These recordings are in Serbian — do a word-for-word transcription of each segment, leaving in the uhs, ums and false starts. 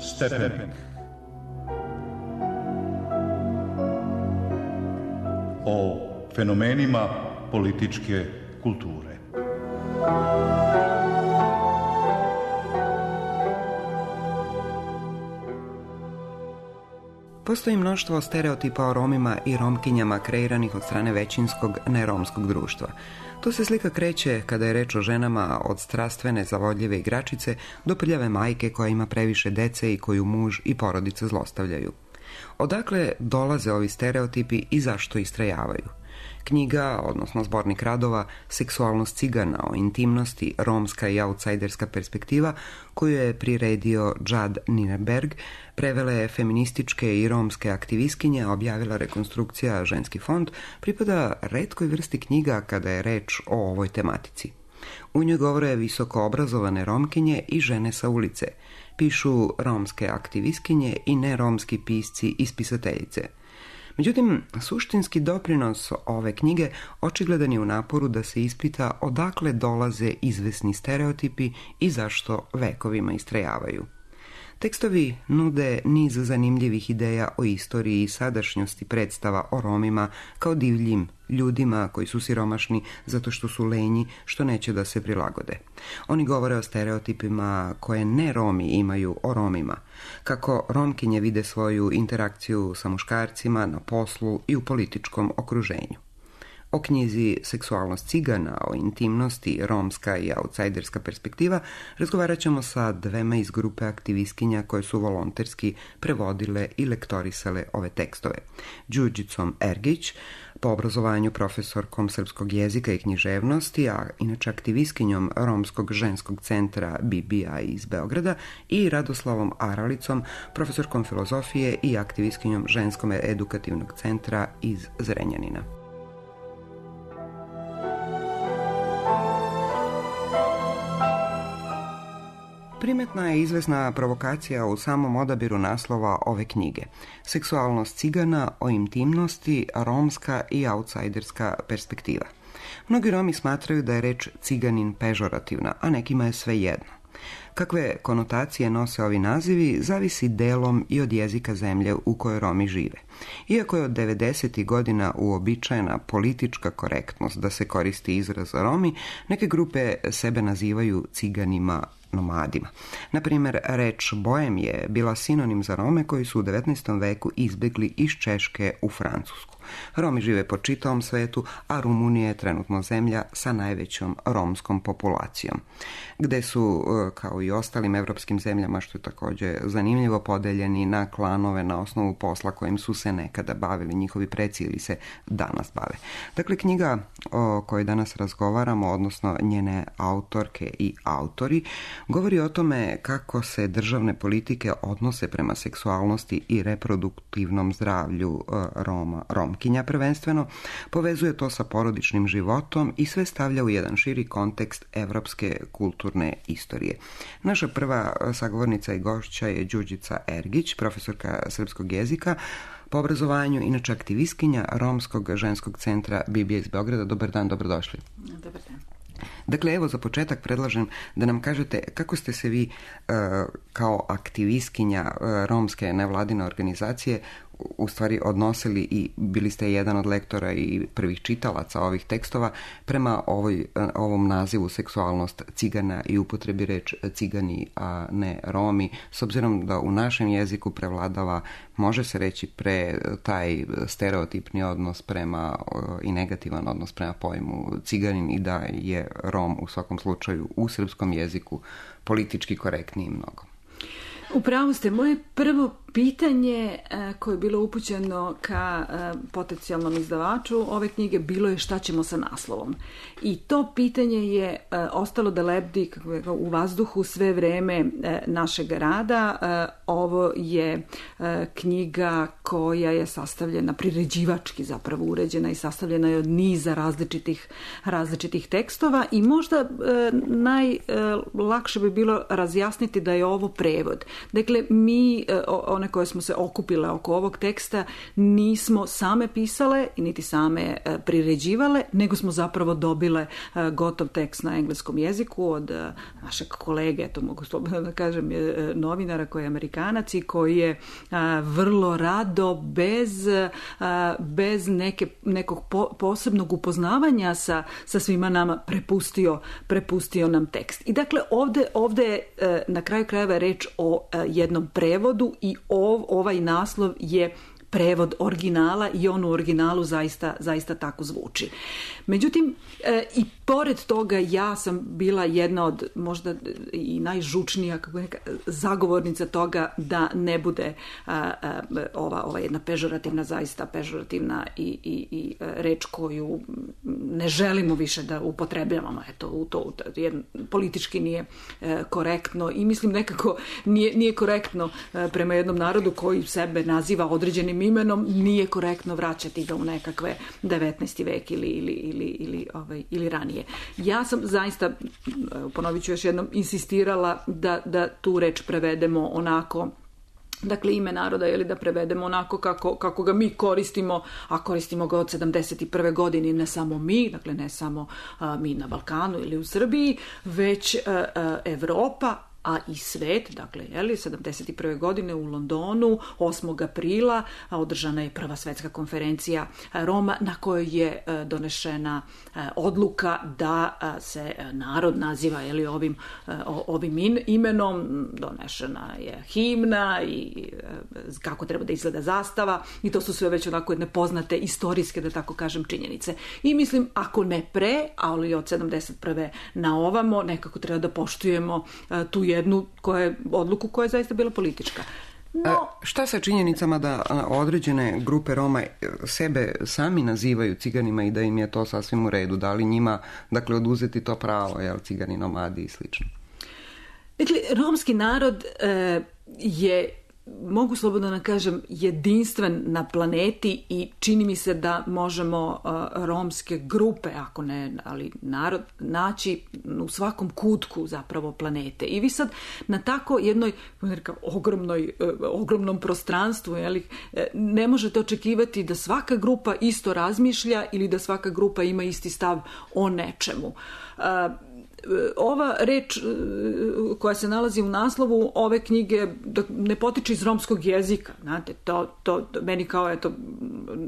Stepenik. O fenomenima političke kulture. Postoji mnoštvo stereotipa o Romima i Romkinjama kreiranih od strane većinskog neromskog društva. To se slika kreće kada je reč o ženama od strastvene, zavodljive igračice do prljave majke koja ima previše dece i koju muž i porodica zlostavljaju. Odakle dolaze ovi stereotipi i zašto istrajavaju? Knjiga, odnosno zbornik radova Seksualnost cigana o intimnosti, romska i outsiderska perspektiva, koju je priredio Jad Nirenberg, prevela je feminističke i romske aktivistkinje, objavila Rekonstrukcija ženski fond, pripada retkoj vrsti knjiga kada je reč o ovoj tematici. U njoj govore visoko obrazovane Romkinje i žene sa ulice, pišu romske aktivistkinje i neromski pisci i spisateljice. Međutim, suštinski doprinos ove knjige očigledan je u naporu da se ispita odakle dolaze izvesni stereotipi i zašto vekovima istrajavaju. Tekstovi nude niz zanimljivih ideja o istoriji i sadašnjosti predstava o Romima kao divljim ljudima koji su siromašni zato što su lenji, što neće da se prilagode. Oni govore o stereotipima koje ne Romi imaju o Romima, kako Romkinje vide svoju interakciju sa muškarcima na poslu i u političkom okruženju. O knjizi Seksualnost cigana, o intimnosti, romska i outsiderska perspektiva razgovarat ćemo sa dvema iz grupe aktivistkinja koje su volonterski prevodile i lektorisale ove tekstove. Đurđicom Ergić, po obrazovanju profesorkom srpskog jezika i književnosti, a inače aktivistkinjom Romskog ženskog centra B B A iz Beograda, i Radoslavom Aralicom, profesorkom filozofije i aktivistkinjom Ženskog edukativnog centra iz Zrenjanina. Primetna je izvesna provokacija u samom odabiru naslova ove knjige. Seksualnost cigana o intimnosti, romska i outsiderska perspektiva. Mnogi Romi smatraju da je reč ciganin pežorativna, a nekima je svejedno. Kakve konotacije nose ovi nazivi zavisi delom i od jezika zemlje u kojoj Romi žive. Iako je od devedesetih godina uobičajena politička korektnost da se koristi izraz Romi, neke grupe sebe nazivaju ciganima nomadima. Na primjer, reč Boem je bila sinonim za Rome koji su u devetnaestom veku izbjegli iz Češke u Francusku. Romi žive po čitavom svetu, a Rumunija je trenutno zemlja sa najvećom romskom populacijom, gde su, kao i ostalim evropskim zemljama, što je također zanimljivo, podeljeni na klanove na osnovu posla kojim su se nekada bavili njihovi preci ili se danas bave. Dakle, knjiga o kojoj danas razgovaramo, odnosno njene autorke i autori, govori o tome kako se državne politike odnose prema seksualnosti i reproduktivnom zdravlju Roma, Romkinja prvenstveno, povezuje to sa porodičnim životom i sve stavlja u jedan širi kontekst evropske kulturne istorije. Naša prva sagovornica i gošća je Đurđica Ergić, profesorka srpskog jezika, po obrazovanju inače aktivistkinja Romskog ženskog centra B B A iz Beograda. Dobar dan, dobrodošli. Dobar dan. Dakle, evo za početak predlažem da nam kažete kako ste se vi uh, kao aktivistkinja uh, romske nevladine organizacije u stvari odnosili i bili ste jedan od lektora i prvih čitalaca ovih tekstova prema ovoj, ovom nazivu seksualnost cigana i upotrebi reč cigani, a ne Romi, s obzirom da u našem jeziku prevladava, može se reći, pre taj stereotipni odnos prema i negativan odnos prema pojmu ciganin i da je Rom u svakom slučaju u srpskom jeziku politički korektniji mnogo. Upravo ste. Moje prvo pitanje koje je bilo upućeno ka potencijalnom izdavaču ove knjige bilo je šta ćemo sa naslovom. I to pitanje je ostalo da lebdi u vazduhu sve vreme našeg rada. Ovo je knjiga koja je sastavljena, priređivački zapravo uređena i sastavljena je od niza različitih, različitih tekstova i možda najlakše bi bilo razjasniti da je ovo prevod. Dakle, mi, one koje smo se okupile oko ovog teksta, nismo same pisale i niti same priređivale, nego smo zapravo dobile gotov tekst na engleskom jeziku od našeg kolege, to mogu slobodno da kažem, novinara koji je Amerikanac i koji je vrlo rado, bez, bez neke, nekog po, posebnog upoznavanja sa, sa svima nama prepustio, prepustio nam tekst. I dakle, ovde, ovde je na kraju krajeva reč o jednom prevodu i ov, ovaj naslov je prevod originala i on u originalu zaista, zaista tako zvuči. Međutim, e, i pored toga ja sam bila jedna od možda i najžučnija kako neka, zagovornica toga da ne bude a, a, ova, ova jedna pežorativna, zaista pežorativna i, i, i reč koju ne želimo više da upotrebljavamo. Eto, u to, u to jedno, politički nije e, korektno i mislim nekako nije, nije korektno e, prema jednom narodu koji sebe naziva određenim imenom, nije korektno vraćati ga u nekakve devetnaesti vek ili, ili, ili, ili, ovaj, ili ranije. Ja sam zaista, ponovit ću još jednom, insistirala da, da tu reč prevedemo onako, dakle ime naroda, ili da prevedemo onako kako, kako ga mi koristimo, a koristimo ga od sedamdeset prve godine, ne samo mi, dakle ne samo a, mi na Balkanu ili u Srbiji, već a, a, Evropa, a i svet, dakle, jeli, sedamdeset prve godine u Londonu, osmog aprila, održana je prva svetska konferencija Roma na kojoj je donešena odluka da se narod naziva, jeli, ovim, ovim imenom, donešena je himna i kako treba da izgleda zastava i to su sve već onako jedne poznate istorijske, da tako kažem, činjenice. I mislim, ako ne pre, ali od sedamdeset prve na ovamo, nekako treba da poštujemo tu jednu koje, odluku koja je zaista bila politička. No, šta sa činjenicama da određene grupe Roma sebe sami nazivaju ciganima i da im je to sasvim u redu? Da li njima, dakle, oduzeti to pravo, jel, cigani, nomadi i slično? Dakle, romski narod e, je, mogu slobodno da kažem, jedinstven na planeti i čini mi se da možemo uh, romske grupe, ako ne, ali narod, naći u svakom kutku zapravo planete. I vi sad na tako jednoj nekako, ogromnoj, uh, ogromnom prostranstvu, jeli, ne možete očekivati da svaka grupa isto razmišlja ili da svaka grupa ima isti stav o nečemu. Uh, Ova reč koja se nalazi u naslovu ove knjige ne potiče iz romskog jezika. Znate, to, to, meni kao eto,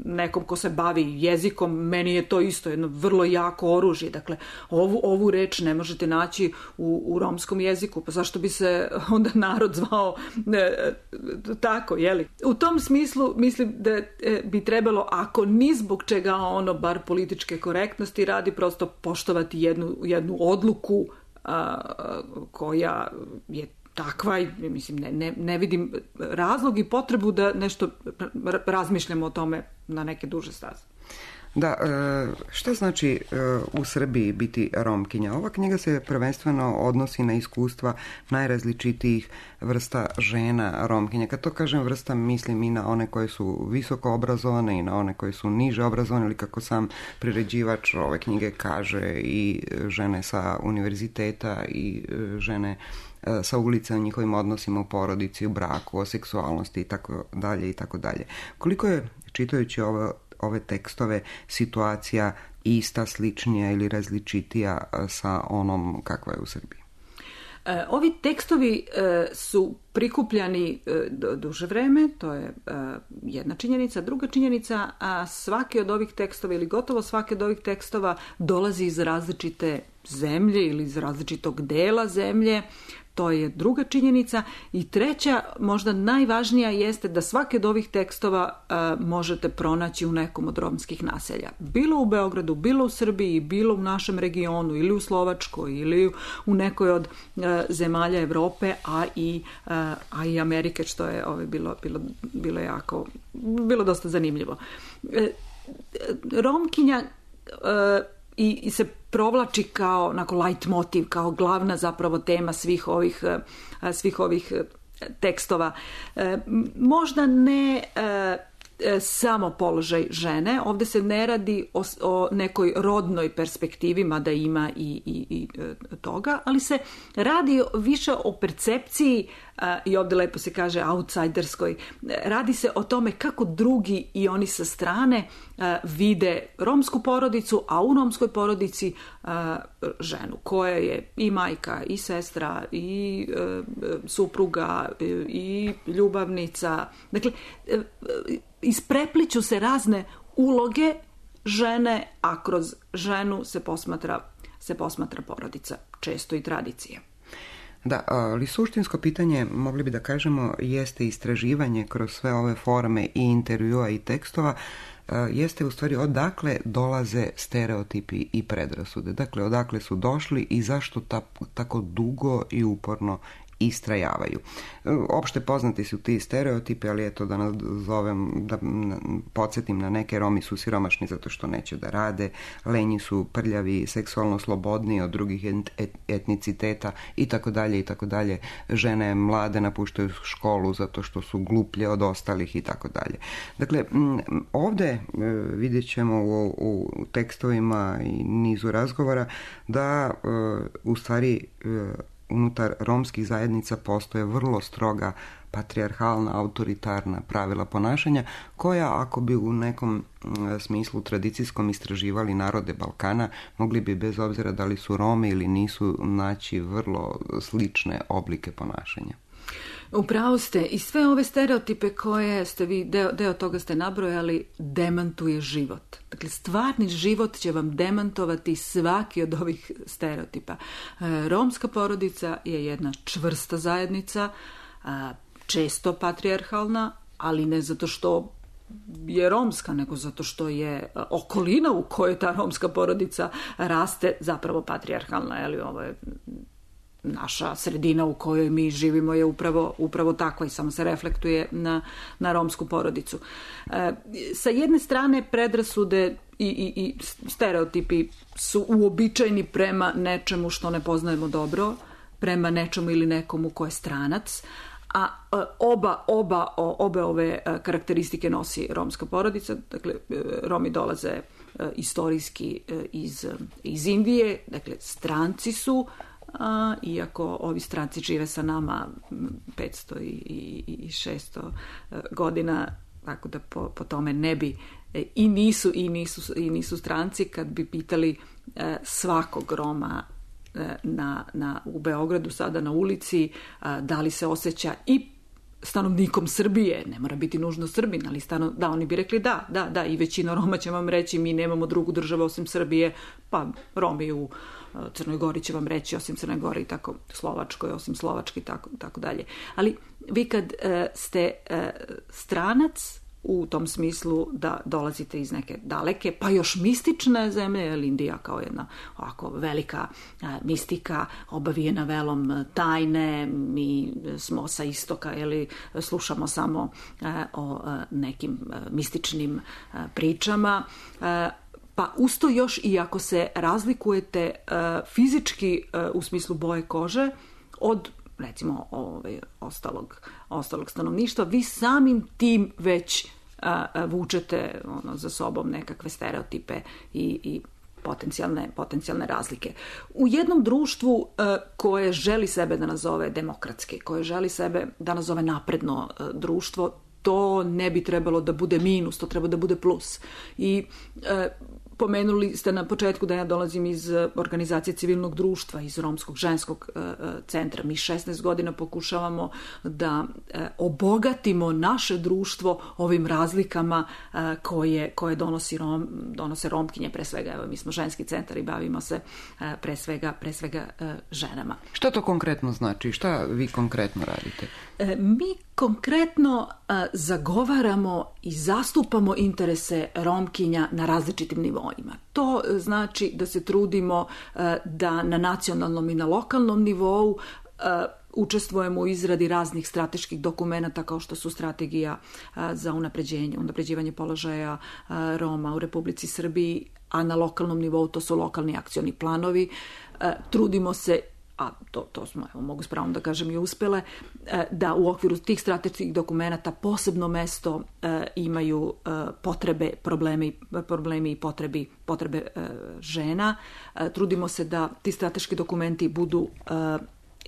nekom ko se bavi jezikom, meni je to isto jedno vrlo jako oružje. Dakle, ovu, ovu reč ne možete naći u, u romskom jeziku. Pa zašto bi se onda narod zvao e, tako, jeli? U tom smislu mislim da e, bi trebalo, ako ni zbog čega ono, bar političke korektnosti radi, prosto poštovati jednu, jednu odluku A, koja je takva i mislim ne, ne, ne vidim razlog i potrebu da nešto razmišljamo o tome na neke duže staze. Da, šta znači u Srbiji biti Romkinja? Ova knjiga se prvenstveno odnosi na iskustva najrazličitijih vrsta žena Romkinja. Kad to kažem vrsta, mislim i na one koje su visoko obrazovane i na one koje su niže obrazovane, ili kako sam priređivač ove knjige kaže, i žene sa univerziteta i žene sa ulice, o njihovim odnosima u porodici, u braku, o seksualnosti i tako dalje i tako dalje. Koliko je, čitajući ovo ove tekstove, situacija ista, sličnija ili različitija sa onom kakva je u Srbiji? E, ovi tekstovi e, su prikupljani e, duže vreme, to je e, jedna činjenica. Druga činjenica, a svaki od ovih tekstova ili gotovo svaki od ovih tekstova dolazi iz različite zemlje ili iz različitog dela zemlje. To je druga činjenica. I treća, možda najvažnija, jeste da svaki od ovih tekstova uh, možete pronaći u nekom od romskih naselja. Bilo u Beogradu, bilo u Srbiji, bilo u našem regionu, ili u Slovačkoj, ili u nekoj od uh, zemalja Evrope, a i, uh, a i Amerike, što je ovaj, bilo, bilo, bilo jako, bilo dosta zanimljivo. Uh, Romkinja uh, i, i se provlači kao onako light motiv, kao glavna zapravo tema svih ovih, svih ovih tekstova. Možda ne samo položaj žene. Ovdje se ne radi o, o nekoj rodnoj perspektivi, mada ima i, i, i toga, ali se radi više o percepciji, i ovdje lepo se kaže outsiderskoj. Radi se o tome kako drugi i oni sa strane vide romsku porodicu, a u romskoj porodici ženu koja je i majka, i sestra, i supruga, i ljubavnica. Dakle, isprepliću se razne uloge žene, a kroz ženu se posmatra, se posmatra porodica, često i tradicija. Da, ali suštinsko pitanje, mogli bi da kažemo, jeste istraživanje kroz sve ove forme i intervjua i tekstova, jeste u stvari odakle dolaze stereotipi i predrasude. Dakle, odakle su došli i zašto ta, tako dugo i uporno istrajavaju. Opšte poznati su ti stereotipi, ali eto da nazovem, da podsjetim na neke, Romi su siromašni zato što neće da rade, lenji su, prljavi, seksualno slobodni od drugih etniciteta i tako dalje i tako dalje. Žene mlade napuštaju školu zato što su gluplje od ostalih i tako dalje. Dakle, ovde vidjet ćemo u, u tekstovima i nizu razgovora da u stvari unutar romskih zajednica postoje vrlo stroga patrijarhalna, autoritarna pravila ponašanja koja, ako bi u nekom smislu tradicijskom istraživali narode Balkana, mogli bi bez obzira da li su Romi ili nisu naći vrlo slične oblike ponašanja. Upravo ste, i sve ove stereotipe koje ste vi, deo, deo toga ste nabrojali, demantuje život. Dakle, stvarni život će vam demantovati svaki od ovih stereotipa. Romska porodica je jedna čvrsta zajednica, često patrijarhalna, ali ne zato što je romska, nego zato što je okolina u kojoj ta romska porodica raste zapravo patrijarhalna, ali ovo je naša sredina u kojoj mi živimo je upravo, upravo takva i samo se reflektuje na, na romsku porodicu. E, sa jedne strane predrasude i, i, i stereotipi su uobičajeni prema nečemu što ne poznajemo dobro, prema nečemu ili nekomu ko je stranac, a oba, oba, obe ove karakteristike nosi romska porodica. Dakle, Romi dolaze istorijski iz, iz Indije, dakle stranci su, A, iako ovi stranci žive sa nama petsto i šesto godina, tako da po, po tome ne bi i nisu, i nisu, i nisu stranci. Kad bi pitali svakog Roma na, na, u Beogradu sada na ulici da li se osjeća i stanovnikom Srbije, ne mora biti nužno Srbin, ali stano, da, oni bi rekli da, da, da, i većina Roma će vam reći mi nemamo drugu državu osim Srbije, pa Romi u Crnoj Gori će vam reći osim Crnoj Gori, tako Slovačkoj osim Slovački, tako, tako dalje. Ali vi kad e, ste e, stranac u tom smislu da dolazite iz neke daleke, pa još mistične zemlje, jer Indija kao jedna ovako velika e, mistika, obavijena velom tajne, mi smo sa istoka, ili slušamo samo e, o e, nekim e, mističnim e, pričama, e, pa usto još i ako se razlikujete uh, fizički uh, u smislu boje kože od recimo ovaj, ostalog, ostalog stanovništva, vi samim tim već uh, vučete ono, za sobom nekakve stereotipe i, i potencijalne, potencijalne razlike. U jednom društvu uh, koje želi sebe da nazove demokratski, koje želi sebe da nazove napredno uh, društvo, to ne bi trebalo da bude minus, to treba da bude plus. I e, pomenuli ste na početku da ja dolazim iz organizacije civilnog društva, iz Romskog ženskog e, centra. Mi šesnaest godina pokušavamo da e, obogatimo naše društvo ovim razlikama e, koje, koje donosi Rom, donose Romkinje, pre svega. Evo, mi smo ženski centar i bavimo se e, pre svega, pre svega e, ženama. Što to konkretno znači? Šta vi konkretno radite? E, mi konkretno a, zagovaramo i zastupamo interese Romkinja na različitim nivoima. To znači da se trudimo a, da na nacionalnom i na lokalnom nivou a, učestvujemo u izradi raznih strateških dokumenata kao što su strategija a, za unapređenje, unapređivanje položaja a, Roma u Republici Srbiji, a na lokalnom nivou to su lokalni akcioni planovi. A, trudimo se a to, to smo, evo, mogu s pravom da kažem, i uspele, da u okviru tih strateških dokumenata posebno mesto imaju potrebe, problemi, problemi i potrebi, potrebe žena. Trudimo se da ti strateški dokumenti budu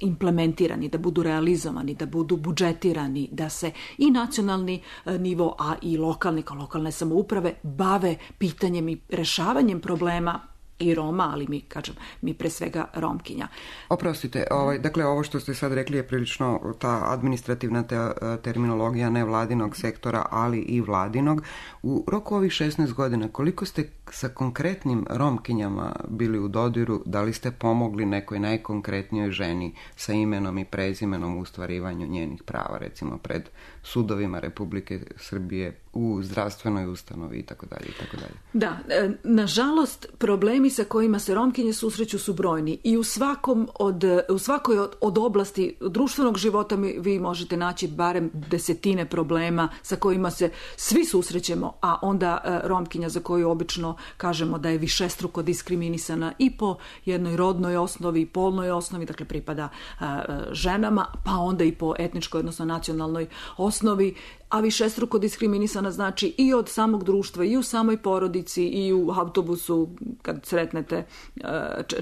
implementirani, da budu realizovani, da budu budžetirani, da se i nacionalni nivo, a i lokalni, kao lokalne samouprave, bave pitanjem i rešavanjem problema i Roma, ali mi, kažem, mi pre svega Romkinja. Oprostite, ovaj, dakle, ovo što ste sad rekli je prilično ta administrativna te, terminologija nevladinog sektora, ali i vladinog. U roku ovih šesnaest godina, koliko ste sa konkretnim Romkinjama bili u dodiru, da li ste pomogli nekoj najkonkretnijoj ženi sa imenom i prezimenom u ostvarivanju njenih prava, recimo pred sudovima Republike Srbije, u zdravstvenoj ustanovi i tako dalje i tako dalje. Da, nažalost, problemi sa kojima se Romkinje susreću su brojni i u svakom od, u svakoj od, od oblasti društvenog života mi, vi možete naći barem desetine problema sa kojima se svi susrećemo, a onda Romkinja za koju obično kažemo da je višestruko diskriminisana i po jednoj rodnoj osnovi, polnoj osnovi, dakle pripada a, ženama, pa onda i po etničkoj, odnosno nacionalnoj osnovi, a višestruko diskriminisana znači i od samog društva, i u samoj porodici, i u autobusu kad sretnete,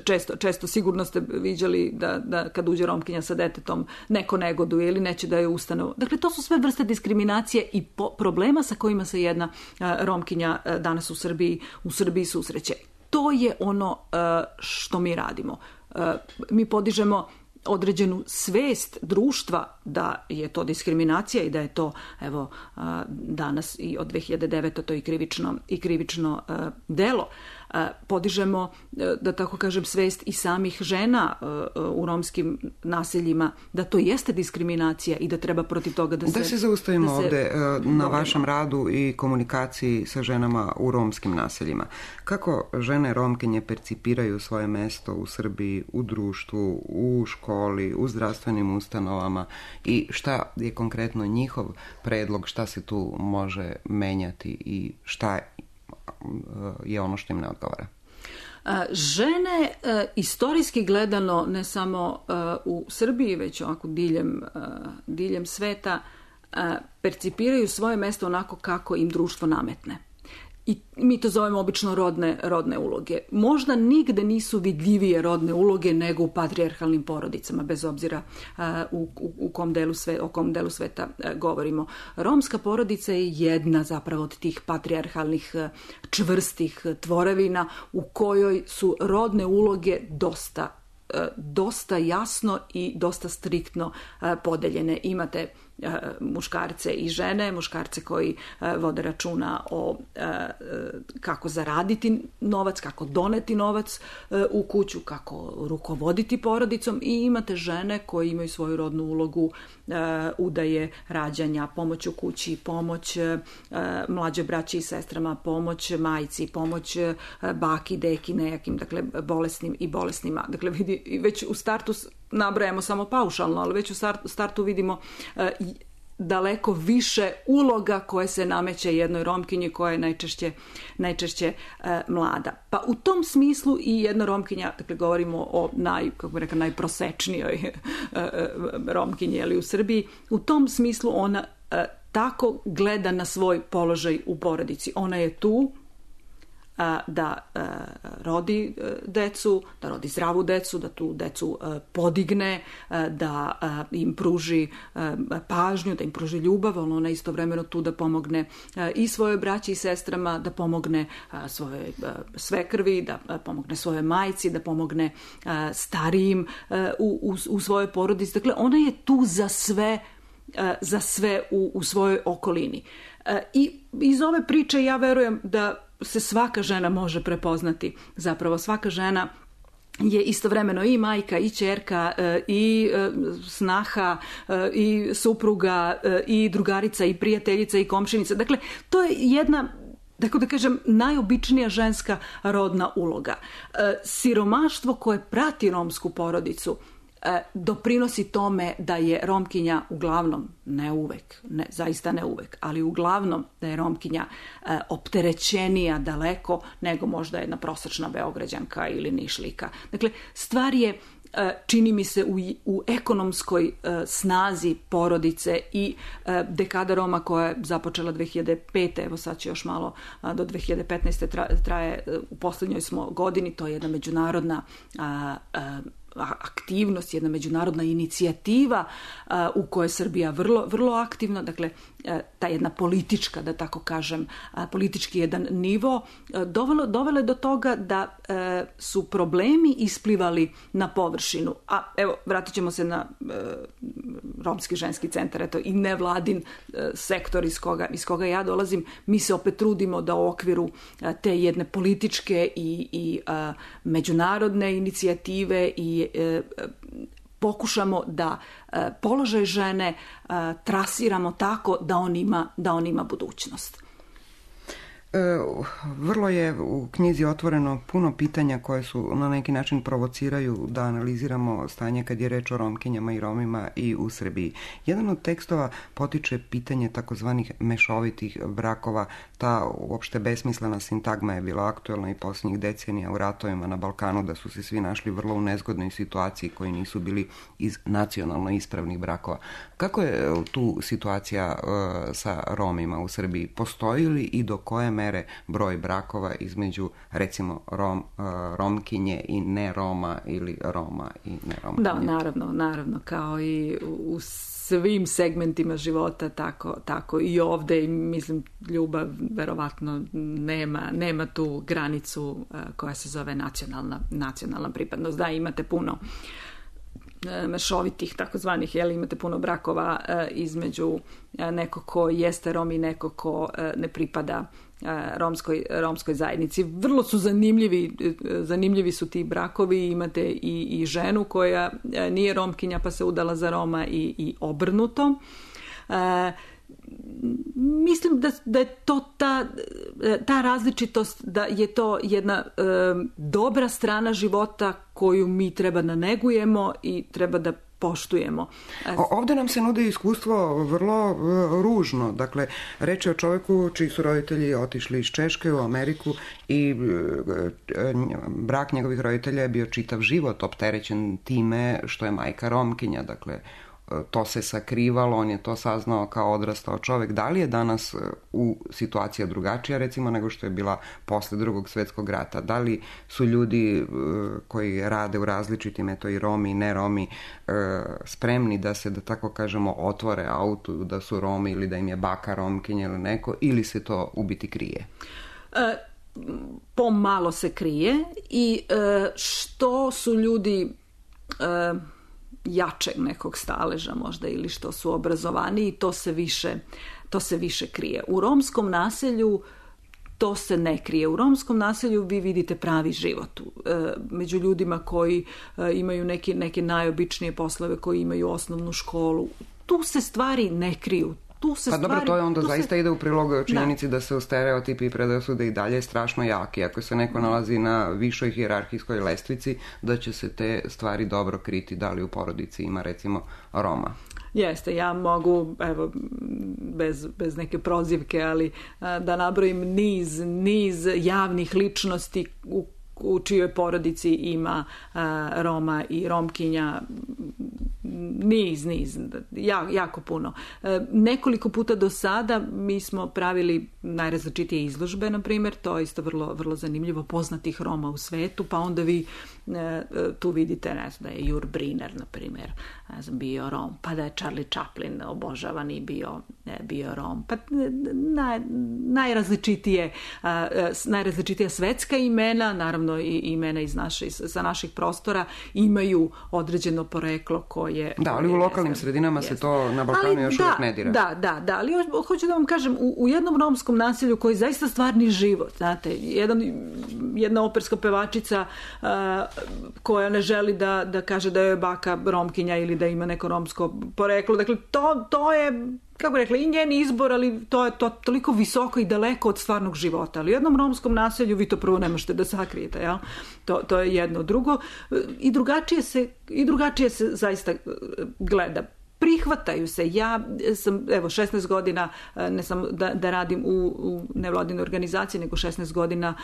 često, često sigurno ste viđali da, da kad uđe Romkinja sa detetom neko negoduje ili neće da je ustane. Dakle, to su sve vrste diskriminacije i po, problema sa kojima se jedna Romkinja danas u Srbiji, u Srbiji susreće. To je ono što mi radimo. Mi podižemo određenu svest društva da je to diskriminacija i da je to, evo, danas i od dve hiljade devete. to i krivično, i krivično delo. Podižemo, da tako kažem, svest i samih žena u romskim naseljima da to jeste diskriminacija i da treba protiv toga da se... Da se zaustavimo da se ovde na borimo. Vašem radu i komunikaciji sa ženama u romskim naseljima. Kako žene Romkinje percipiraju svoje mesto u Srbiji, u društvu, u školi, u zdravstvenim ustanovama i šta je konkretno njihov predlog, šta se tu može menjati i šta je ono što im ne odgovara? Žene, istorijski gledano, ne samo u Srbiji, već ovako diljem, diljem sveta, percipiraju svoje mesto onako kako im društvo nametne. I mi to zovemo obično rodne, rodne uloge. Možda nigde nisu vidljivije rodne uloge nego u patrijarhalnim porodicama, bez obzira uh, u, u, u kom delu sve, o kom delu sveta uh, govorimo. Romska porodica je jedna zapravo od tih patrijarhalnih uh, čvrstih uh, tvorevina u kojoj su rodne uloge dosta dosta jasno i dosta striktno podeljene. Imate muškarce i žene, muškarce koji vode računa o kako zaraditi novac, kako doneti novac u kuću, kako rukovoditi porodicom, i imate žene koje imaju svoju rodnu ulogu udaje, rađanja, pomoć u kući, pomoć mlađoj braći i sestrama, pomoć majci, pomoć baki, deki, nejakim, dakle, bolesnim i bolesnima. Dakle, vidi, već u startu nabrajamo samo paušalno, ali već u startu vidimo daleko više uloga koje se nameće jednoj Romkinji koja je najčešće, najčešće e, mlada. Pa u tom smislu i jedna Romkinja, dakle govorimo o naj, kako bih rekla, najprosečnijoj e, e, Romkinji, ali u Srbiji, u tom smislu ona e, tako gleda na svoj položaj u porodici. Ona je tu da rodi decu, da rodi zdravu decu, da tu decu podigne, da im pruži pažnju, da im pruži ljubav, ali ona istovremeno tu da pomogne i svojoj braći i sestrama, da pomogne svojoj svekrvi, da pomogne svojoj majci, da pomogne starijim u, u, u svojoj porodici. Dakle, ona je tu za sve, za sve u, u svojoj okolini. I iz ove priče ja verujem da se svaka žena može prepoznati. Zapravo svaka žena je istovremeno i majka, i ćerka, i snaha, i supruga, i drugarica, i prijateljica, i komšinica. Dakle, to je jedna, tako da kažem, najobičnija ženska rodna uloga. Siromaštvo koje prati romsku porodicu doprinosi tome da je Romkinja uglavnom, ne uvek, ne, zaista ne uvek, ali uglavnom da je Romkinja e, opterećenija daleko nego možda jedna prosečna Beograđanka ili Nišlika. Dakle, stvar je čini mi se u, u ekonomskoj snazi porodice i dekada Roma koja je započela dve hiljade pete. Evo sad će još malo do dve hiljade petnaeste traje, u posljednjoj smo godini, to je jedna međunarodna aktivnost, jedna međunarodna inicijativa a, u kojoj je Srbija vrlo, vrlo aktivna, dakle a, ta jedna politička, da tako kažem, a, politički jedan nivo, a, dovelo, dovelo je do toga da a, su problemi isplivali na površinu. A evo, vratit ćemo se na a, Romski ženski centar, eto, i nevladin a, sektor iz koga, iz koga ja dolazim. Mi se opet trudimo da u okviru a, te jedne političke i, i a, međunarodne inicijative i pokušamo da položaj žene trasiramo tako da on ima, da on ima budućnost. Vrlo je u knjizi otvoreno puno pitanja koje su na neki način provociraju da analiziramo stanje kad je reč o Romkinjama i Romima i u Srbiji. Jedan od tekstova potiče pitanje takozvanih mešovitih brakova. Ta uopšte besmislena sintagma je bila aktuelna i posljednjih decenija u ratovima na Balkanu, da su se svi našli vrlo u nezgodnoj situaciji koji nisu bili iz nacionalno ispravnih brakova. Kako je tu situacija uh, sa Romima u Srbiji? Postoji li i do koje mere broj brakova između, recimo, Rom, uh, Romkinje i ne Roma ili Roma i ne Romkinje? Da, naravno, naravno, kao i u svim segmentima života, tako, tako i ovde, i mislim, ljubav verovatno nema, nema tu granicu uh, koja se zove nacionalna, nacionalna pripadnost. Da, imate puno mešovitih, takozvanih, jel, imate puno brakova e, između e, neko ko jeste Rom i neko ko e, ne pripada e, romskoj, romskoj zajednici. Vrlo su zanimljivi, e, zanimljivi su ti brakovi. Imate i, i ženu koja e, nije Romkinja pa se udala za Roma i, i obrnuto. E, Mislim da, da je to ta, ta različitost, da je to jedna e, dobra strana života koju mi treba da negujemo i treba da poštujemo. Ovdje nam se nudi iskustvo vrlo uh, ružno. Dakle, reč je o čovjeku čiji su roditelji otišli iz Češke u Ameriku i uh, brak njegovih roditelja je bio čitav život opterećen time što je majka Romkinja. Dakle, to se sakrivalo, on je to saznao kao odrastao čovjek. Da li je danas u situacija drugačija, recimo, nego što je bila posle Drugog svjetskog rata? Da li su ljudi koji rade u različitim, eto i Romi i ne Romi, spremni da se, da tako kažemo, otvore autu, da su Romi ili da im je baka Romkinja ili neko, ili se to u biti krije? E, pomalo se krije i e, što su ljudi... E, jačeg nekog staleža možda ili što su obrazovani i to se više, to se više krije. U romskom naselju to se ne krije. U romskom naselju vi vidite pravi život. Među ljudima koji imaju neke, neke najobičnije poslove, koji imaju osnovnu školu. Tu se stvari ne kriju. Tu se pa stvari, dobro, to je onda zaista se... ide u prilog činjenici da, da se u stereotipi i predrasude i dalje strašno jaki. Ako se neko nalazi na višoj hijerarhijskoj lestvici, da će se te stvari dobro kriti, da li u porodici ima recimo Roma. Jeste, ja mogu, evo, bez, bez neke prozivke, ali da nabrojim niz, niz javnih ličnosti u u čijoj porodici ima uh, Roma i Romkinja, niz, niz, ja, jako puno. Uh, nekoliko puta do sada mi smo pravili najrazličitije izložbe, na primjer, to je isto vrlo, vrlo zanimljivo, poznatih Roma u svetu, pa onda vi uh, tu vidite, ne znam, da je Jur Briner, na primjer, ne znam, bio Rom, pa da je Charlie Chaplin obožavani bio, bio Rom, pa naj, najrazličitije, uh, najrazličitija svetska imena, naravno i imena iz naše, sa naših prostora imaju određeno poreklo koje... Da, ali u lokalnim jeste, sredinama jeste. se to na Balkanu još da, uvijek ne dira. Da, da, da, ali hoću da vam kažem, u, u jednom romskom naselju koji je zaista stvarni život, znate, jedan, jedna operska pevačica uh, koja ne želi da, da kaže da je baka Romkinja ili da ima neko romsko poreklo, dakle, to, to je... kako rekla, i njen izbor, ali to je to toliko visoko i daleko od stvarnog života. Ali u jednom romskom naselju vi to prvo ne možete da sakrijete, jel? To, to je jedno. Drugo, i drugačije se, i drugačije se zaista gleda. prihvataju se. Ja sam, evo, šesnaest godina, ne samo da, da radim u, u nevladinoj organizaciji, nego šesnaest godina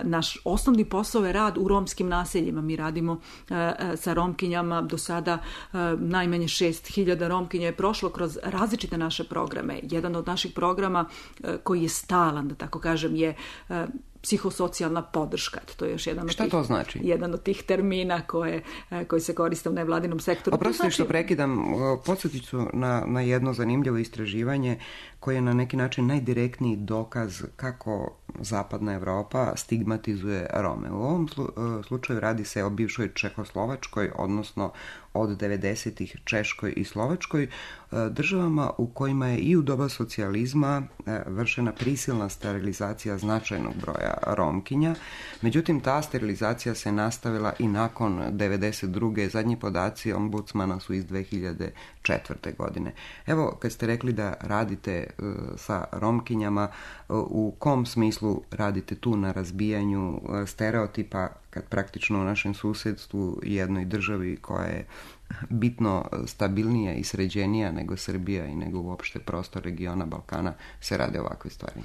naš osnovni posao je rad u romskim naseljima. Mi radimo sa romkinjama, do sada najmanje šest hiljada romkinja je prošlo kroz različite naše programe. Jedan od naših programa koji je stalan, da tako kažem, je psihosocijalna podrška. To je još jedan od Šta tih, to znači? Jedan od tih termina koje, koji se koriste u nevladinom sektoru. Oprostite znači... što prekidam, podsjetit ću na, na jedno zanimljivo istraživanje koje je na neki način najdirektniji dokaz kako zapadna Evropa stigmatizuje Rome. U ovom slučaju radi se o bivšoj Čehoslovačkoj, odnosno od devedesetih Češkoj i Slovačkoj, državama u kojima je i u doba socijalizma vršena prisilna sterilizacija značajnog broja Romkinja. Međutim, ta sterilizacija se nastavila i nakon devedeset druge. Zadnji podaci ombudsmana su iz dve hiljade četvrte. godine. Evo, kad ste rekli da radite sa Romkinjama, u kom smislu radite tu na razbijanju stereotipa, kad praktično u našem susjedstvu, jednoj državi koja je bitno stabilnija i sređenija nego Srbija i nego uopšte prostor regiona Balkana, se rade ovakve stvari?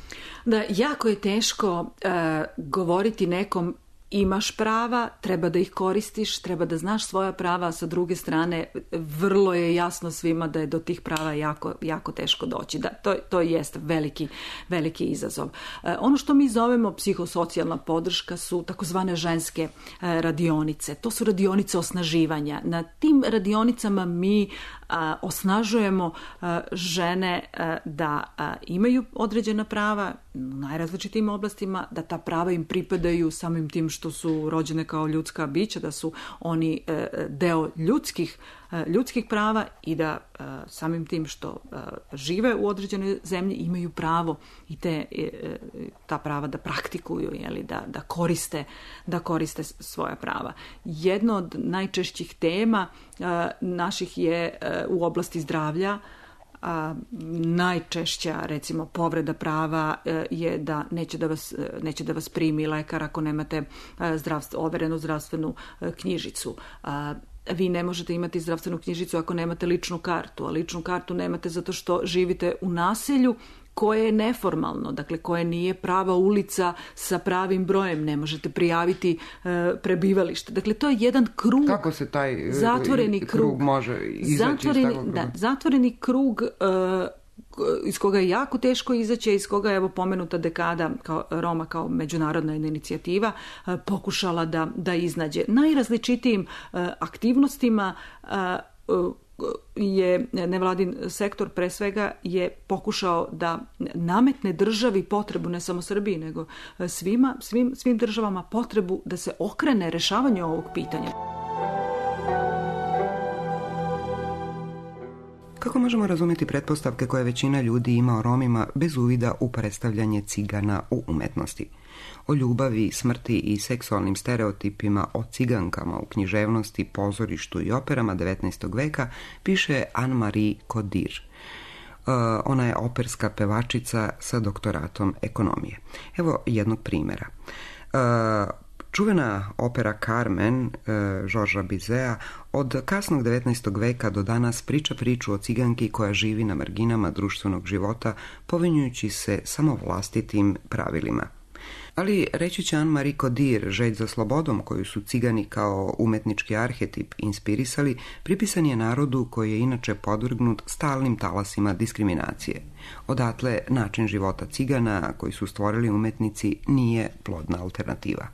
Da, jako je teško uh, govoriti nekom imaš prava, treba da ih koristiš, treba da znaš svoja prava, a sa druge strane vrlo je jasno svima da je do tih prava jako, jako teško doći. Da, to, to jest veliki, veliki izazov. E, ono što mi zovemo psihosocijalna podrška su takozvane ženske e, radionice. To su radionice osnaživanja. Na tim radionicama mi a, osnažujemo a, žene a, da a, imaju određena prava u najrazličitijim oblastima, da ta prava im pripadaju samim tim što su rođene kao ljudska bića, da su oni e, deo ljudskih, e, ljudskih prava i da e, samim tim što e, žive u određenoj zemlji imaju pravo i te, e, ta prava da praktikuju, jeli, da, da, koriste, da koriste svoja prava. Jedno od najčešćih tema e, naših je e, u oblasti zdravlja. A, najčešća, recimo, povreda prava e, je da neće da vas, neće da vas primi lekar ako nemate e, zdravstvo, overenu zdravstvenu e, knjižicu. A, vi ne možete imati zdravstvenu knjižicu ako nemate ličnu kartu, a ličnu kartu nemate zato što živite u naselju koje je neformalno, dakle koje nije prava ulica sa pravim brojem, ne možete prijaviti e, prebivalište. Dakle, to je jedan krug. Kako se taj zatvoreni krug, krug može izaći zatvoreni, iz takvog? Da, zatvoreni krug e, iz koga je jako teško izaći, iz koga je, evo, pomenuta dekada kao Roma kao međunarodna inicijativa e, pokušala da, da iznađe. Najrazličitijim e, aktivnostima e, je nevladin sektor pre svega je pokušao da nametne državi potrebu, ne samo Srbiji, nego svima, svim, svim državama potrebu da se okrene rešavanju ovog pitanja. Kako možemo razumjeti pretpostavke koje većina ljudi ima o Romima bez uvida u predstavljanje cigana u umetnosti? O ljubavi, smrti i seksualnim stereotipima o cigankama u književnosti, pozorištu i operama devetnaestog veka piše Anne-Marie Codir. Ona je operska pevačica sa doktoratom ekonomije. Evo jednog primjera. Čuvena opera Carmen Georgesa Bizeta od kasnog devetnaestog veka do danas priča priču o ciganki koja živi na marginama društvenog života, povinjujući se samo vlastitim pravilima. Ali reći će Anne-Marie Codir, želj za slobodom koju su cigani kao umetnički arhetip inspirisali, pripisan je narodu koji je inače podvrgnut stalnim talasima diskriminacije. Odatle način života cigana koji su stvorili umetnici nije plodna alternativa.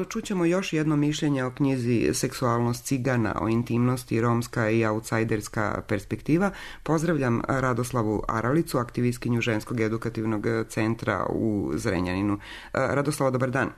čućemo još jedno mišljenje o knjizi Seksualnost cigana, o intimnosti, romska i outsiderska perspektiva. Pozdravljam Radoslavu Aralicu, aktivistkinju Ženskog edukativnog centra u Zrenjaninu. Radoslava, dobar dan.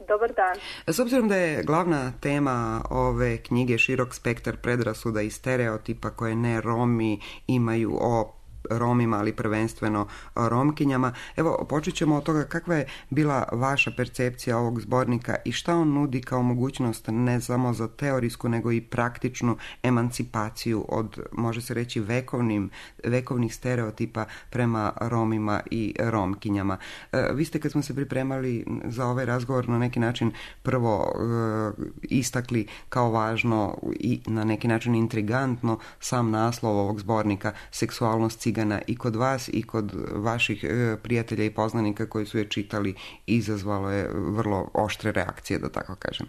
Dobar dan. S obzirom da je glavna tema ove knjige širok spektar predrasuda i stereotipa koje ne Romi imaju o Romima, ali prvenstveno Romkinjama. Evo, počet ćemo od toga kakva je bila vaša percepcija ovog zbornika i šta on nudi kao mogućnost ne samo za teorijsku, nego i praktičnu emancipaciju od, može se reći, vekovnim, vekovnih stereotipa prema Romima i Romkinjama. E, vi ste, kad smo se pripremali za ovaj razgovor, na neki način prvo e, istakli kao važno i na neki način intrigantno sam naslov ovog zbornika, Seksualnost cigana. I kod vas i kod vaših e, prijatelja i poznanika koji su je čitali izazvalo je vrlo oštre reakcije, da tako kažem.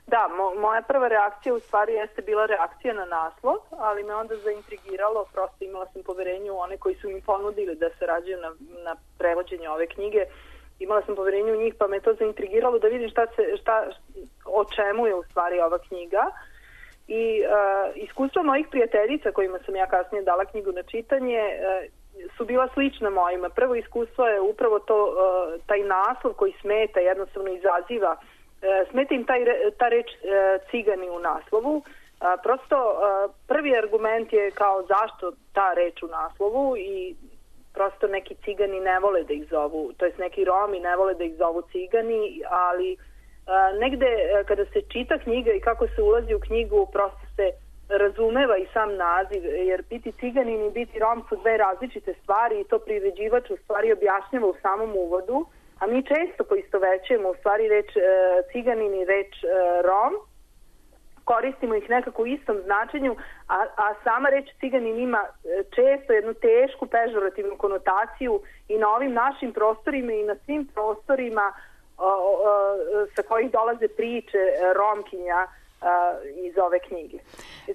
Da, mo- moja prva reakcija u stvari jeste bila reakcija na naslov, ali me onda zaintrigiralo, prosto imala sam poverenje u one koji su mi ponudili da se rađaju na, na prevođenje ove knjige. Imala sam poverenje u njih, pa me to zaintrigiralo da vidim šta se, šta, o čemu je u stvari ova knjiga. I uh, iskustva mojih prijateljica kojima sam ja kasnije dala knjigu na čitanje uh, su bila slična mojima. Prvo iskustvo je upravo to, uh, taj naslov koji smeta, jednostavno izaziva. Uh, smeta im taj, ta reč uh, cigani u naslovu. Uh, prosto uh, prvi argument je kao zašto ta reč u naslovu i prosto neki cigani ne vole da ih zovu, to jest neki Romi ne vole da ih zovu cigani, ali Uh, negde uh, kada se čita knjiga i kako se ulazi u knjigu, prosto se razumeva i sam naziv, jer biti ciganin i biti Rom su dve različite stvari i to priređivač u stvari objašnjava u samom uvodu, a mi često poistovećujemo u stvari reč uh, ciganin i reč uh, Rom, koristimo ih nekako u istom značenju, a, a sama reč ciganin ima često jednu tešku pežorativnu konotaciju i na ovim našim prostorima i na svim prostorima O, o, sa kojih dolaze priče Romkinja a, iz ove knjige.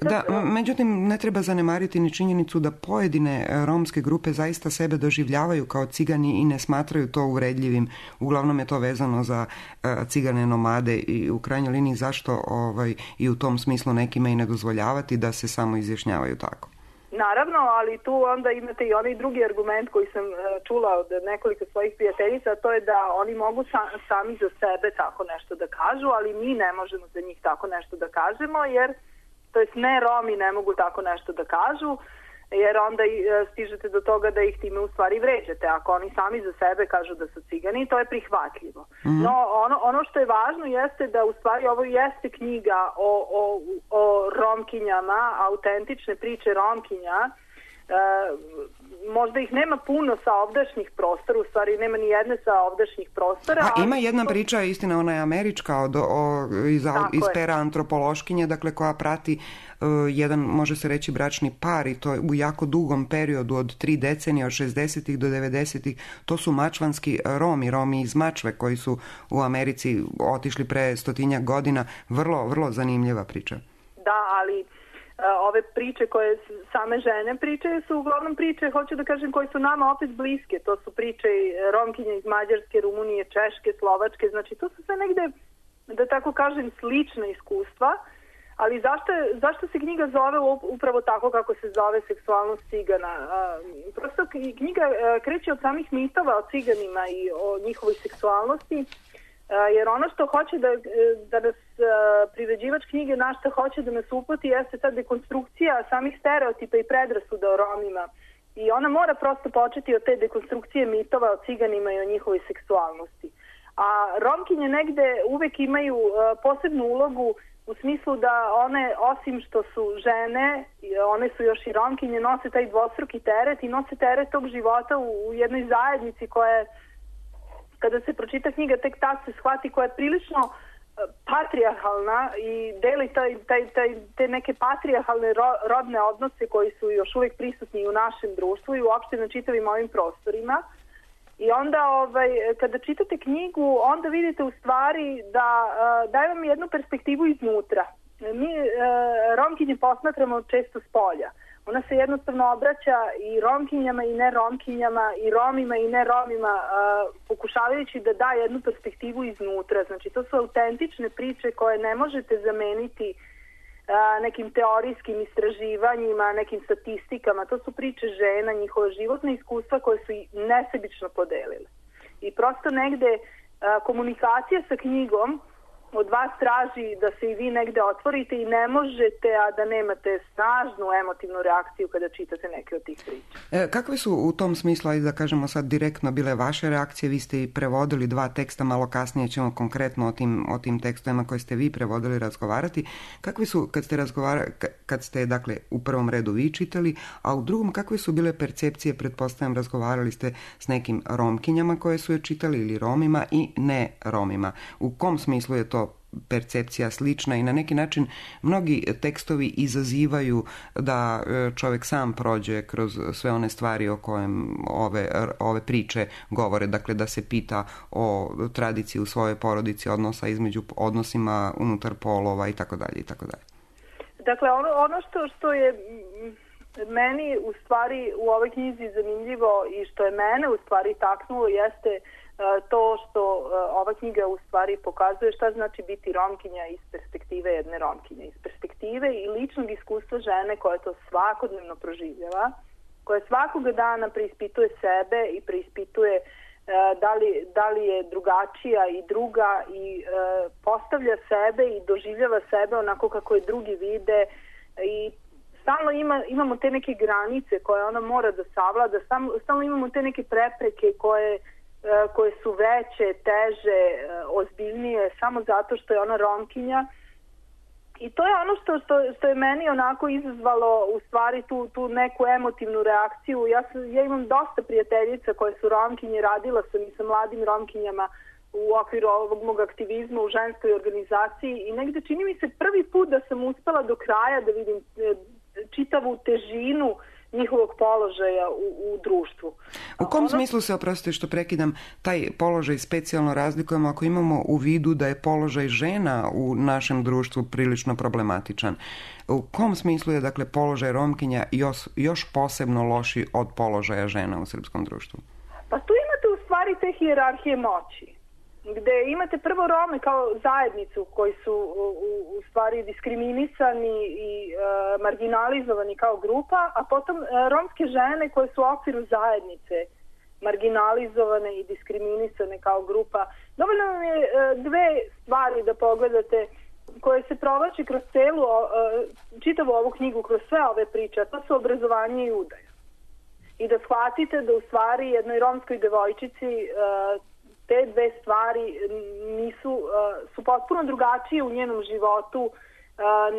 Sad, da, međutim, ne treba zanemariti ni činjenicu da pojedine romske grupe zaista sebe doživljavaju kao cigani i ne smatraju to uvredljivim. Uglavnom je to vezano za a, cigane nomade i u krajnjoj liniji zašto ovaj, i u tom smislu nekima i ne dozvoljavati da se samo izjašnjavaju tako. Naravno, ali tu onda imate i onaj drugi argument koji sam čula od nekoliko svojih prijateljica, to je da oni mogu sa, sami za sebe tako nešto da kažu, ali mi ne možemo za njih tako nešto da kažemo, jer, to jest ne Romi ne mogu tako nešto da kažu, jer onda stižete do toga da ih time u stvari vređate. Ako oni sami za sebe kažu da su cigani, to je prihvatljivo. Mm-hmm. No, ono, ono što je važno jeste da u stvari ovo jeste knjiga o, o, o Romkinjama, autentične priče Romkinja. E, možda ih nema puno sa ovdašnjih prostora, u stvari nema ni jedne sa ovdašnjih prostora. A ima jedna priča, istina, ona je američka, od, o, iz, iz pera antropološkinje, dakle koja prati uh, jedan, može se reći, bračni par i to u jako dugom periodu od tri decenije, od šezdesetih do devedesetih. To su mačvanski Romi, Romi iz Mačve koji su u Americi otišli pre stotinjak godina. Vrlo, vrlo zanimljiva priča. Da, ali ove priče koje same žene pričaju su uglavnom priče, hoću da kažem, koje su nama opet bliske. To su priče Romkinja iz Mađarske, Rumunije, Češke, Slovačke. Znači to su sve negde, da tako kažem, slična iskustva. Ali zašto, zašto se knjiga zove upravo tako kako se zove Seksualnost cigana? Prosto knjiga kreće od samih mitova o ciganima i o njihovoj seksualnosti. Jer ono što hoće da, da nas priređivač knjige na što hoće da nas uputi jeste ta dekonstrukcija samih stereotipa i predrasuda o Romima. I ona mora prosto početi od te dekonstrukcije mitova o ciganima i o njihovoj seksualnosti. A Romkinje negde uvek imaju posebnu ulogu u smislu da one, osim što su žene, one su još i Romkinje, nose taj dvostruki teret i nose teret tog života u, u jednoj zajednici koja je, kada se pročita knjiga, tek tad se shvati, koja je prilično patrijarhalna i deli taj, taj, taj, te neke patrijarhalne ro, rodne odnose koji su još uvijek prisutni u našem društvu i uopšte na čitavim ovim prostorima. I onda ovaj, kada čitate knjigu, onda vidite u stvari da uh, daje vam jednu perspektivu iznutra. Mi uh, Romkinje posmatramo često s polja. Ona se jednostavno obraća i romkinjama i ne romkinjama, i romima i ne romima, pokušavajući da da jednu perspektivu iznutra. Znači, to su autentične priče koje ne možete zameniti nekim teorijskim istraživanjima, nekim statistikama. To su priče žena, njihova životna iskustva koje su i nesebično podelile. I prosto negde komunikacija sa knjigom od vas traži da se i vi negde otvorite i ne možete, a da nemate snažnu emotivnu reakciju kada čitate neke od tih priča. E, kakve su u tom smislu, ajde da kažemo sad direktno, bile vaše reakcije? Vi ste i prevodili dva teksta, malo kasnije ćemo konkretno o tim, o tim tekstovima koje ste vi prevodili razgovarati. Kakve su, kad ste razgovarali, kad ste, dakle, u prvom redu vi čitali, a u drugom, kakve su bile percepcije? Pretpostavljam, razgovarali ste s nekim romkinjama koje su je čitali ili romima i ne romima. U kom smislu je to percepcija slična i na neki način mnogi tekstovi izazivaju da čovjek sam prođe kroz sve one stvari o kojem ove, ove priče govore, dakle da se pita o tradiciji u svojoj porodici, odnosa između odnosima unutar polova i tako dalje i tako dalje. Dakle, ono, ono što, što je meni u stvari u ovoj knjizi zanimljivo i što je mene u stvari taknulo jeste to što ova knjiga u stvari pokazuje šta znači biti romkinja iz perspektive jedne romkinje, iz perspektive i ličnog iskustva žene koja to svakodnevno proživljava, koja svakoga dana preispituje sebe i preispituje da li, da li je drugačija i druga i postavlja sebe i doživljava sebe onako kako je drugi vide i stalno ima, imamo te neke granice koje ona mora da savlada, stalno imamo te neke prepreke koje koje su veće, teže, ozbiljnije, samo zato što je ona romkinja. I to je ono što, što, što je meni onako izazvalo u stvari tu, tu neku emotivnu reakciju. Ja, sam, ja imam dosta prijateljica koje su romkinje, radila sam i sa mladim romkinjama u okviru ovog mog aktivizma u ženskoj organizaciji i negde čini mi se prvi put da sam uspela do kraja da vidim čitavu težinu njihovog položaja u, u društvu. U kom ono... smislu se, oprostite što prekidam, taj položaj specijalno razlikujemo ako imamo u vidu da je položaj žena u našem društvu prilično problematičan? U kom smislu je, dakle, položaj romkinja još, još posebno loši od položaja žena u srpskom društvu? Pa tu imate u stvari te hijerarhije moći, gde imate prvo Rome kao zajednicu koji su u, u stvari diskriminisani i e, marginalizovani kao grupa, a potom e, romske žene koje su u okviru zajednice marginalizovane i diskriminisane kao grupa. Dovoljno vam je e, dve stvari da pogledate koje se provlači kroz celu, e, čitavu ovu knjigu, kroz sve ove priče, a to su obrazovanje i udaja. I da shvatite da u stvari jednoj romskoj devojčici e, te dve stvari nisu, su potpuno drugačije u njenom životu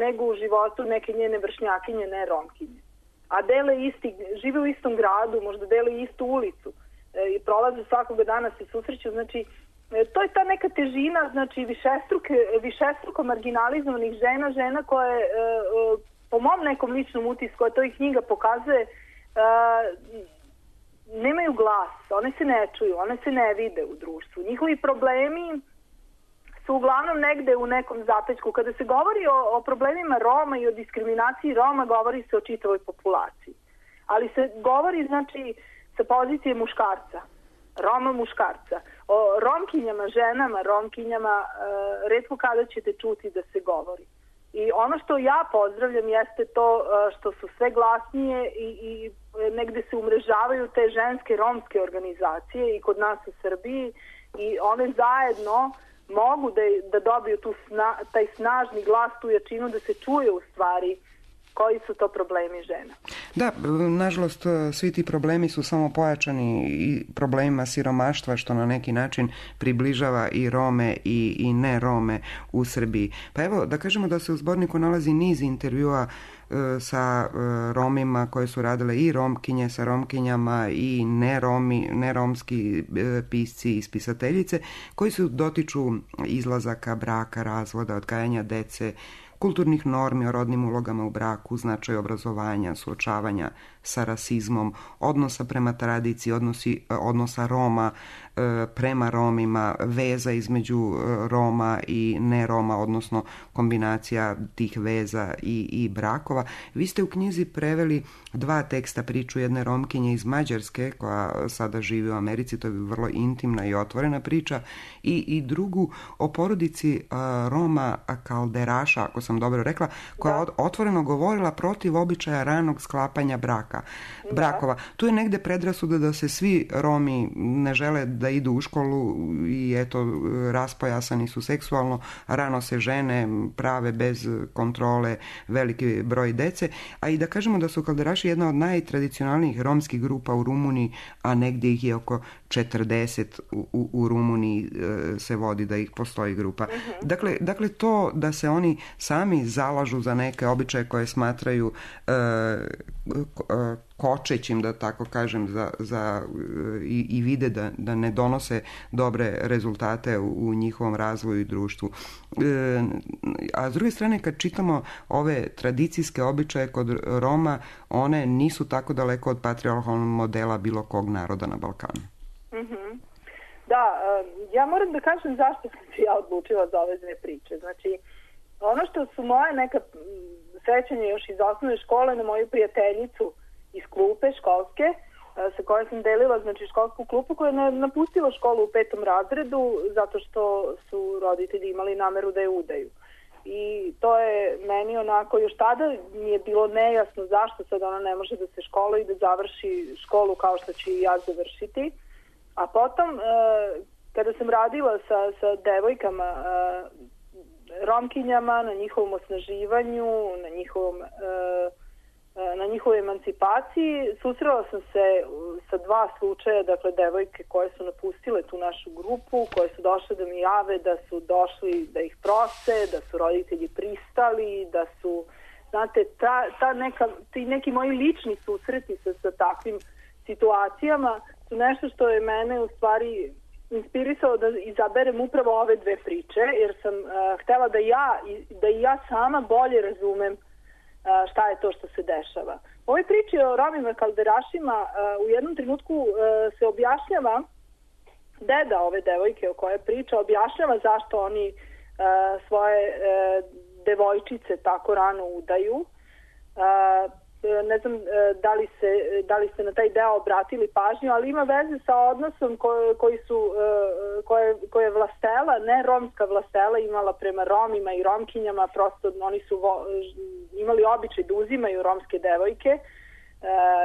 nego u životu neke njene vršnjakinje, ne romkinje. A dele isti, žive u istom gradu, možda dele istu ulicu i prolaze svakoga dana, se susreću. Znači, to je ta neka težina, znači višestruke, višestruko marginalizovanih žena, žena koje, po mom nekom ličnom utisku, koje to i knjiga pokazuje, nemaju glas, one se ne čuju, one se ne vide u društvu. Njihovi problemi su uglavnom negde u nekom zapećku. Kada se govori o, o problemima Roma i o diskriminaciji Roma, govori se o čitavoj populaciji. Ali se govori, znači, sa pozicije muškarca, Roma muškarca. O romkinjama, ženama, romkinjama, e, retko kada ćete čuti da se govori. I ono što ja pozdravljam jeste to što su sve glasnije i, i negde se umrežavaju te ženske romske organizacije i kod nas u Srbiji i one zajedno mogu da, da dobiju tu sna, taj snažni glas, tu jačinu da se čuje u stvari koji su to problemi žena. Da, nažalost, svi ti problemi su samo pojačani i problemima siromaštva, što na neki način približava i Rome i, i ne Rome u Srbiji. Pa evo, da kažemo da se u zborniku nalazi niz intervjua e, sa e, Romima koje su radile i Romkinje sa Romkinjama i ne Romi, ne romski e, pisci i spisateljice koji su dotiču izlazaka, braka, razvoda, odgajanja dece, kulturnih normi o rodnim ulogama u braku, značaj obrazovanja, suočavanja sa rasizmom, odnosa prema tradiciji, odnosi, odnosa Roma prema Romima, veza između Roma i ne Roma, odnosno kombinacija tih veza i, i brakova. Vi ste u knjizi preveli dva teksta, priču jedne Romkinje iz Mađarske koja sada živi u Americi, to je vrlo intimna i otvorena priča, i, i drugu o porodici uh, Roma Kalderaša, ako sam dobro rekla, koja je otvoreno govorila protiv običaja ranog sklapanja braka, da. brakova. Tu je negde predrasuda da se svi Romi ne žele da idu u školu i eto, raspojasani su seksualno, rano se žene, prave bez kontrole veliki broj dece, a i da kažemo da su Kalderaši jedna od najtradicionalnijih romskih grupa u Rumuniji, a negdje ih je oko četrdeset u, u, u Rumuniji e, se vodi da ih postoji grupa. Uh-huh. Dakle, dakle, to da se oni sami zalažu za neke običaje koje smatraju e, kočećim, da tako kažem, za, za, i, i vide da, da ne donose dobre rezultate u, u njihovom razvoju i društvu. E, a s druge strane, kad čitamo ove tradicijske običaje kod Roma, one nisu tako daleko od patriarhalnog modela bilo kog naroda na Balkanu. Mm-hmm. Da, ja moram da kažem zašto sam se ja odlučila za ove dve priče. Znači, ono što su moje neka sećanja još iz osnovne škole na moju prijateljicu iz klupe školske, sa kojoj sam delila, znači, školsku klupu, koja je napustila školu u petom razredu zato što su roditelji imali nameru da je udaju. I to je meni onako, još tada mi je bilo nejasno zašto sad ona ne može da se školuje i da završi školu kao što ću i ja završiti. A potom, kada sam radila sa, sa devojkama, Romkinjama, na njihovom osnaživanju, na njihovom... na njihovoj emancipaciji, susrela sam se sa dva slučaja, dakle, devojke koje su napustile tu našu grupu, koje su došle da mi jave da su došli da ih prose, da su roditelji pristali, da su, znate, ta, ta neka, ti neki moji lični susreti sa, sa takvim situacijama su nešto što je mene u stvari inspirisalo da izaberem upravo ove dve priče, jer sam uh, htela da ja, da i ja sama bolje razumem šta je to što se dešava. U ovoj priči o Romima Kalderašima u jednom trenutku se objašnjava, deda ove devojke o kojoj priča objašnjava zašto oni svoje devojčice tako rano udaju. Ne znam da li, se, da li ste na taj deo obratili pažnju, ali ima veze sa odnosom koji, koji su, koje, koje je vlastela, ne romska vlastela, imala prema Romima i Romkinjama, prosto oni su vo, imali običaj da uzimaju romske devojke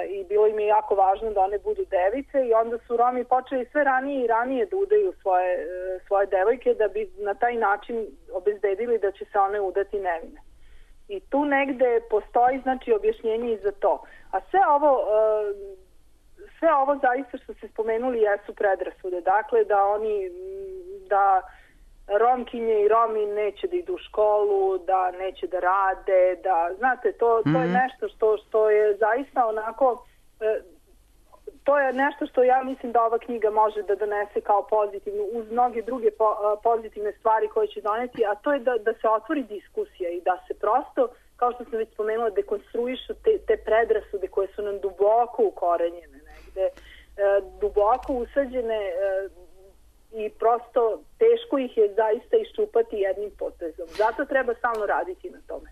i bilo im je jako važno da one budu device i onda su Romi počeli sve ranije i ranije da udaju svoje, svoje devojke da bi na taj način obezbedili da će se one udati nevine. I tu negde postoji, znači, objašnjenje i za to. A sve ovo, sve ovo zaista što ste spomenuli jesu predrasude. Dakle, da oni, da Romkinje i Romi neće da idu u školu, da neće da rade, da, znate, to, to je nešto što, što je zaista onako... To je nešto što ja mislim da ova knjiga može da donese kao pozitivnu, uz mnoge druge po, pozitivne stvari koje će doneti, a to je da, da se otvori diskusija i da se prosto, kao što sam već spomenula, dekonstruišu te, te predrasude koje su nam duboko ukorenjene negde, e, duboko usađene e, i prosto teško ih je zaista iščupati jednim potezom. Zato treba stalno raditi na tome.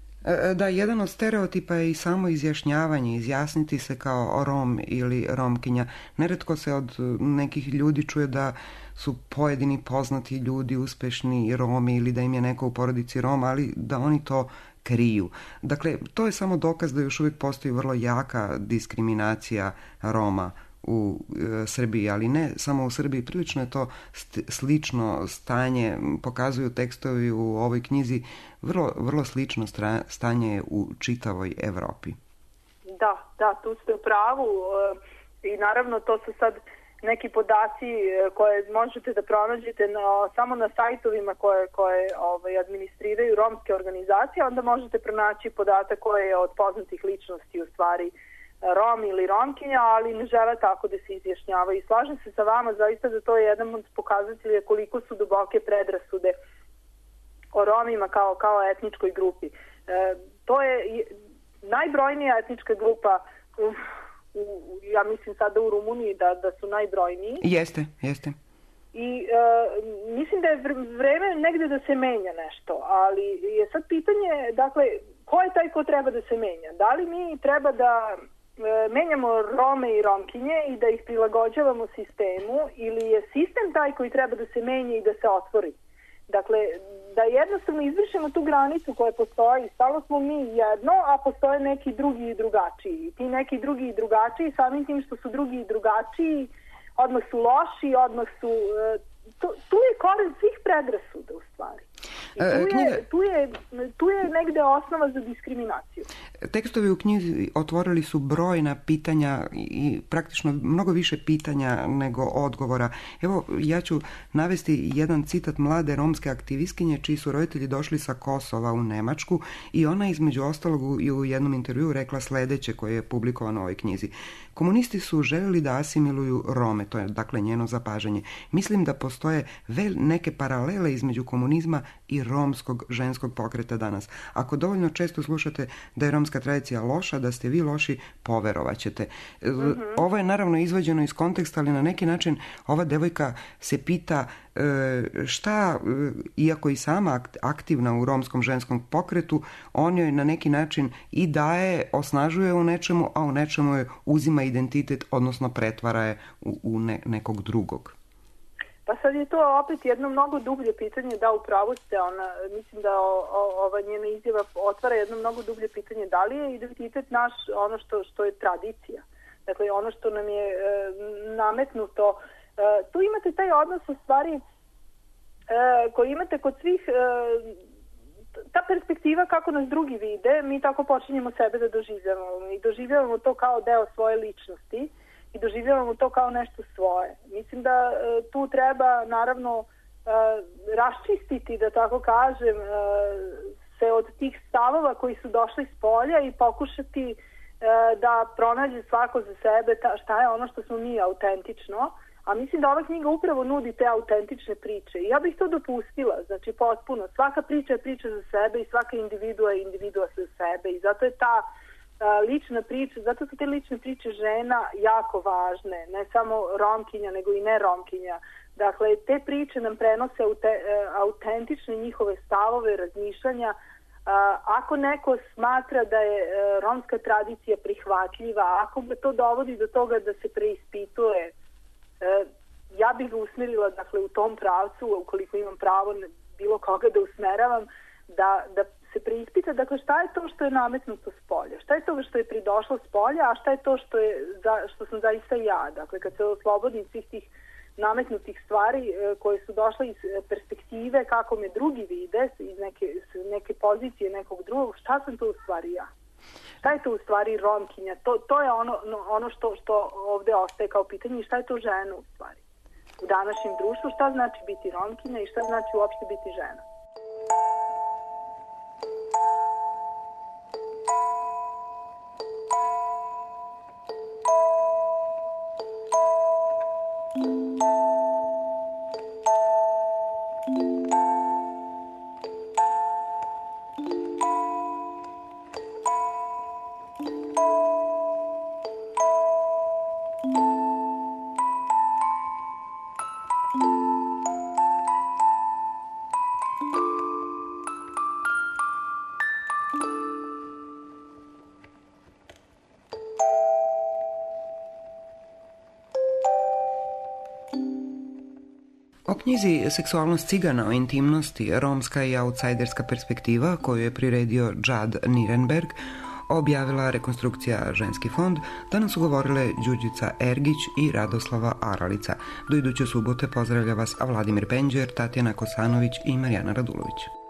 Da, jedan od stereotipa je i samo izjašnjavanje, izjasniti se kao Rom ili Romkinja. Neretko se od nekih ljudi čuje da su pojedini poznati ljudi uspešni Romi ili da im je neko u porodici Roma, ali da oni to kriju. Dakle, to je samo dokaz da još uvijek postoji vrlo jaka diskriminacija Roma u e, Srbiji, ali ne samo u Srbiji, prilično je to st- slično stanje, pokazuju tekstovi u ovoj knjizi, vrlo, vrlo slično stra- stanje u čitavoj Evropi. Da, da, tu ste u pravu e, i naravno to su sad neki podaci koje možete da pronađete na, samo na sajtovima koje, koje ovaj, administriraju romske organizacije, onda možete pronaći podatak koje je od poznatih ličnosti u stvari Rom ili Romkinja, ali ne žele tako da se izjašnjava. I slažem se sa vama zaista da to je jedan od pokazatelja koliko su duboke predrasude o Romima kao, kao etničkoj grupi. E, to je najbrojnija etnička grupa u, u, ja mislim sada u Rumuniji da, da su najbrojniji. Jeste, jeste. I uh, mislim da je vreme negde da se menja nešto, ali je sad pitanje, dakle, ko je taj ko treba da se menja? Da li mi treba da uh, menjamo Rome i Romkinje i da ih prilagođavamo sistemu, ili je sistem taj koji treba da se menja i da se otvori? Dakle, da jednostavno izvršimo tu granicu koja postoji, stalo smo mi jedno, a postoje neki drugi i drugačiji. I ti neki drugi i drugačiji, samim tim što su drugi i drugačiji, odmah su loši, odmah su... Tu, tu je koren svih predrasuda u stvari. I tu, je, Knjiga... tu, je, tu je negde osnova za diskriminaciju. Tekstovi u knjizi otvorili su brojna pitanja i praktično mnogo više pitanja nego odgovora. Evo, ja ću navesti jedan citat mlade romske aktivistkinje čiji su roditelji došli sa Kosova u Nemačku i ona između ostalog i u jednom intervjuu rekla sledeće koje je publikovano u ovoj knjizi. Komunisti su željeli da asimiluju Rome, to je dakle njeno zapažanje. Mislim da postoje vel neke paralele između komunizma i romskog ženskog pokreta danas. Ako dovoljno često slušate da je romska tradicija loša, da ste vi loši, poverovaćete. Mm-hmm. Ovo je naravno izvađeno iz konteksta, ali na neki način ova devojka se pita šta, iako i sama aktivna u romskom ženskom pokretu, on joj na neki način i daje, osnažuje u nečemu, a u nečemu je uzima identitet, odnosno pretvara je u, u ne, nekog drugog. Pa sad je to opet jedno mnogo dublje pitanje, da, upravo ste, ona, mislim da o, o, ova njena izjava otvara jedno mnogo dublje pitanje, da li je identitet naš ono što, što je tradicija, dakle ono što nam je e, nametnuto. E, tu imate taj odnos u stvari e, koji imate kod svih, e, ta perspektiva kako nas drugi vide, mi tako počinjemo sebe da doživljavamo i doživljavamo to kao deo svoje ličnosti i doživljavamo to kao nešto svoje. Mislim da e, tu treba naravno e, raščistiti, da tako kažem, e, se od tih stavova koji su došli s polja i pokušati e, da pronađe svako za sebe ta, šta je ono što smo mi autentično. A mislim da ova knjiga upravo nudi te autentične priče. I ja bih to dopustila, znači potpuno. Svaka priča je priča za sebe i svaka individua je individua za sebe. I zato je ta a, lična priča, zato su te lične priče žena jako važne. Ne samo Romkinja, nego i ne Romkinja. Dakle, te priče nam prenose aute, autentične njihove stavove, razmišljanja. A, ako neko smatra da je a, romska tradicija prihvatljiva, ako ga to dovodi do toga da se preispituje, ja bih ga usmerila, dakle, u tom pravcu, ukoliko imam pravo bilo koga da usmeravam, da, da se preispita, dakle, šta je to što je nametnuto s polja, šta je to što je pridošlo s polja, a šta je to što, je, što sam zaista ja. Dakle, kad se oslobodim svih tih nametnutih stvari koje su došle iz perspektive kako me drugi vide, iz neke, neke pozicije nekog drugog, šta sam to u stvari ja? Šta je to u stvari Romkinja? To, to je ono, ono što, što ovde ostaje kao pitanje i šta je to žena u stvari? U današnjem društvu šta znači biti Romkinja i šta znači uopšte biti žena? O knjizi Seksualnost cigana o intimnosti, romska i outsiderska perspektiva koju je priredio Džad Nirenberg, objavila Rekonstrukcija Ženski fond, danas su govorile Đurđica Ergić i Radoslava Aralica. Do iduće subote pozdravlja vas Vladimir Penđer, Tatjana Kosanović i Marijana Radulović.